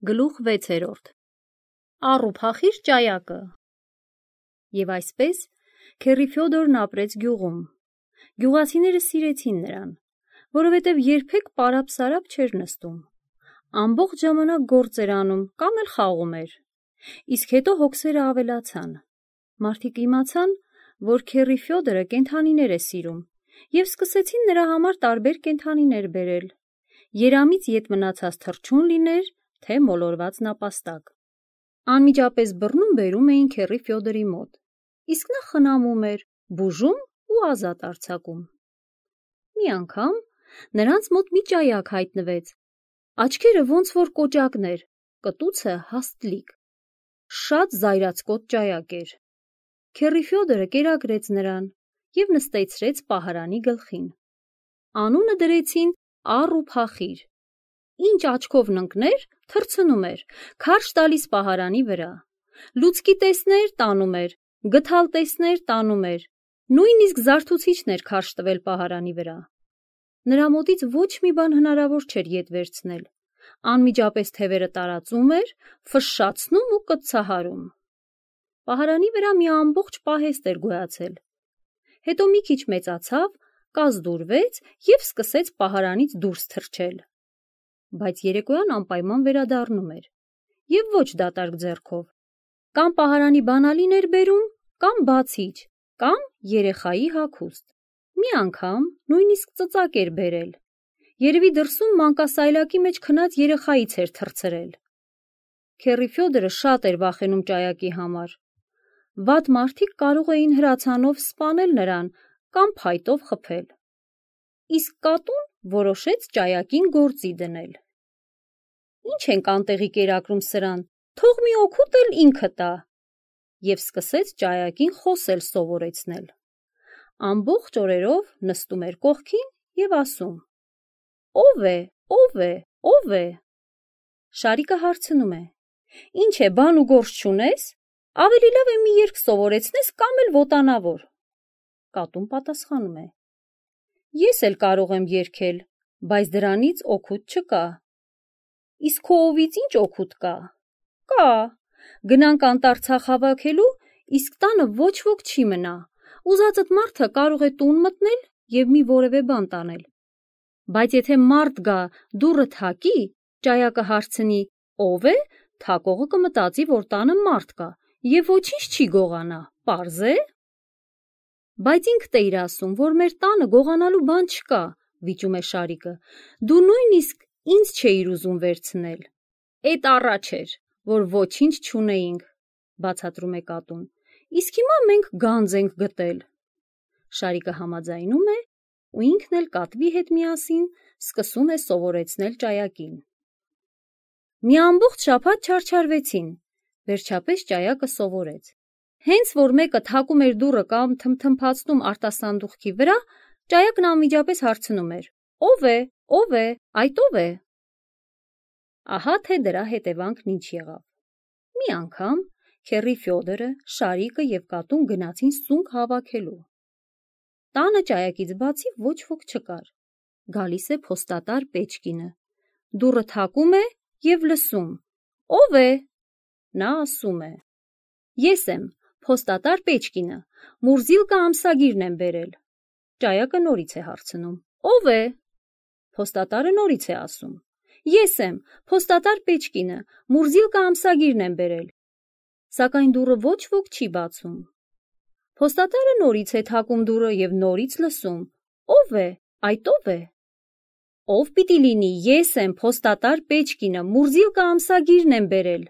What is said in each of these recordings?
Գլուխ 6. Առուփախիր ճայակը։ Եվ այսպես քեռի Ֆյոդորն ապրեց գյուղում։ Գյուղացիները սիրեցին նրան, որովհետև երբեք պարապ-սարապ չէր նստում։ Ամբողջ ժամանակ գործ էր անում կամ էլ խաղում էր։ Իսկ հետո հոգսերը ավելացան։ Մարդիկ իմացան, որ քեռի Ֆյոդորը կենդանիներ է սիրում, և սկսեցին նրա համար տարբեր կենդանիներ բերել։ Երամից ետ մնացած թռչուն լիներ, թե մոլորված նապաստակ։ Անմիջապես բռնում բերում էին քեռի Ֆյոդորի մոտ, իսկ նա խնամում էր, բուժում ու ազատ արձակում։ Մի անգամ նրանց մոտ մի ճայակ հայտնվեց, աչքերը ոնց որ կոճակներ, կտուցը հաստլիկ։ Շատ զայրացկոտ ճայակ էր։ Քեռի Ֆյոդորը կերակրեց նրան և նստեցրեց պահարանի գլխին։ Անունը դրեցին Առուփախիր։ Ինչ աչքով ընկներ, թռցնում էր, քարշ տալիս պահարանի վրա։ Լուցկի տեսներ, տանում էր, գդալ տեսներ, տանում էր, նույնիսկ զարթուցիչն էր քարշ տվել պահարանի վրա։ Նրա մոտից ոչ մի բան հնարավոր չէր ետ վերցնել։ Անմիջապես թևերը տարածում էր, ֆշշացնում ու կծցահարում։ Պահարանի վրա մի ամբողջ պահեստ էր գոյացել։ Հետո մի քիչ մեծացավ, կազդուրվեց և սկսեց պահարանից դուրս թռչել։ Բայց երեկոյան անպայման վերադառնում էր, և ոչ դատարկ ձեռքով։ Կամ պահարանի բանալին էր բերում, կամ բացիչ, կամ երեխայի հագուստ։ Մի անգամ նույնիսկ ծծակ էր բերել։ Երևի դրսում մանկասայլակի մեջ քնած երեխայից էր թռցրել։ Քեռի Ֆյոդորը շատ էր վախենում ճայակի համար։ Վատ մարդիկ կարող էին հրացանով սպանել նրան կամ փայտով խփել։ Իսկ կատուն որոշեց ճայակին գործի դնել։ Ինչ ենք անտեղի կերակրում սրան, թող մի օգուտ էլ ինքը տա։ Եվ սկսեց ճայակին խոսել սովորեցնել։ Ամբողջ օրերով նստում էր կողքին և ասում. «Ո՞վ է, ո՞վ է, ո՞վ է»։ Շարիկը հարցնում է. «Ինչ է, բան ու գործ չունես։ Ավելի լավ է մի երգ սովորեցնես կամ էլ ոտանավոր»։ Կատուն պատասխանում է. «Ես էլ կարող եմ երգել, բայց դրանից օգուտ չկա»։ «Իսկ քո օվից ինչ օգուտ կա»։ «Կա, գնանք անտառ ցախ հավաքելու, իսկ տանը ոչ ոք չի մնա, ուզածդ մարդը կարող է տուն մտնել և մի որևէ բան տանել։ Բայց եթե մարդ գա դուռը թակի, ճայակը հարցնի՝ ով է, թակողը կմտածի, որ տանը մարդ կա և ոչինչ չի գողանա, պարզ է»։ «Բայց ինքդ էիր ասում, որ մեր տանը գողանալու բան չկա», վիճում է Շարիկը, «դու նույնիսկ ինձ չէիր ուզում վերցնել»։ «Էդ առաջ էր, որ ոչինչ չունեինք», բացատրում է կատուն, «իսկ հիմա մենք գանձ ենք գտել»։ Շարիկը համաձայնում է ու ինքն էլ կատվի հետ միասին սկսում է սովորեցնել ճայակին։ Մի ամբողջ շաբաթ չարչարվեցին, վերջապես ճայակը սովորեց։ Հենց որ մեկը թակում էր դուռը կամ թմթմփացնում արտասանդուղքի վրա, ճայակն անմիջապես հարցնում էր. «Ո՞վ է, ո՞վ է, այդ ո՞վ է»։ Ահա թե դրա հետևանքն ինչ եղավ։ Մի անգամ քեռի Ֆյոդորը, Շարիկը և կատուն գնացին սունկ հավաքելու։ Տանը ճայակից բացի ոչ ոք չկար։ Գալիս է փոստատար Պեչկինը, դուռը թակում է և լսում. «Ո՞վ է»։ Նա ասում է. «Ես եմ, փոստատար Պեչկինը, Մուրզիլկա ամսագիրն եմ բերել»։ Ճայակը նորից է հարցնում. «Ո՞վ է»։ Փոստատարը նորից է ասում. «Ես եմ, փոստատար Պեչկինը, Մուրզիլկա ամսագիրն եմ բերել»։ Սակայն դուռը ոչ ոք չի բացում։ Փոստատարը նորից է թակում դուռը և նորից լսում. «Ո՞վ է, այդ ո՞վ է»։ «Ով պիտի լինի, ես եմ, փոստատար Պեչկինը, Մուրզիլկա ամսագիրն եմ բերել»։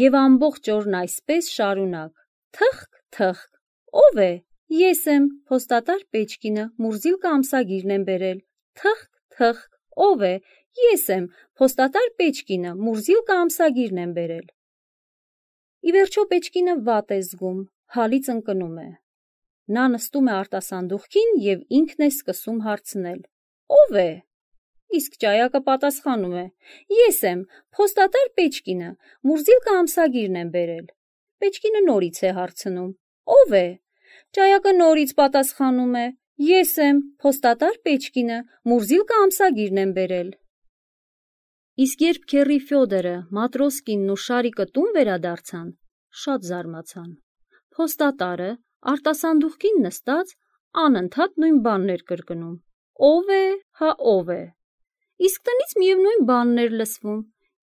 Եվ ամբողջ օրն այսպես շարունակ. թխկ, թխկ, «Ո՞վ է, ես եմ, փոստատար Պեչկինը, Մուրզիլկա ամսագիրն եմ բերել»։ Թխկ, թխկ, «Ո՞վ է, ես եմ, փոստատար Պեչկինը, Մուրզիլկա ամսագիրն եմ բերել»։ Ի վերջո Պեչկինը վատ է զգում, հալից ընկնում է։ Նա նստում է արտասանդուղքին և ինքն է սկսում հարցնել. «Ո՞վ է»։ Իսկ ճայակը պատասխանում է. «Ես եմ, փոստատար Պեչկինը, Մուրզիլկա ամսագիրն եմ բերել»։ Պեչկինը նորից է հարցնում. «Ո՞վ է»։ Ճայակը նորից պատասխանում է. «Ես եմ, փոստատար Պեչկինը, Մուրզիլկա ամսագիրն եմ բերել»։ Իսկ երբ քեռի Ֆյոդորը, Մատրոսկինն ու Շարիկը տուն վերադարձան, շատ զարմացան։ Փոստատարը արտասանդուղքին նստած անընդհատ նույն բանն էր կրկնում. «Ո՞վ է, հա ով է»։ Իսկ տնից միևնույն բանն էր լսվում.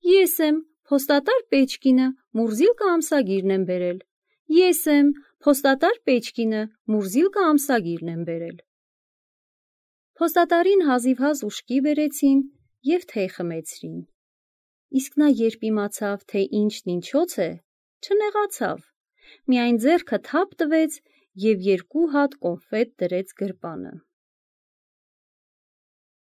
«Ես եմ, փոստատար Պեչկինը, Մուրզիլկա ամսագիրն եմ բերել»։ «Ես եմ, փոստատար Պեչկինը, Մուրզիլկա ամսագիրն եմ բերել»։ Փոստատարին հազիվհազ ուշքի բերեցին և թեյ խմեցրին։ Իսկ նա երբ իմացավ, թե ինչն ինչոց է, չնեղացավ, միայն ձեռքը թափ տվեց և 2 հատ կոնֆետ դրեց գրպանը։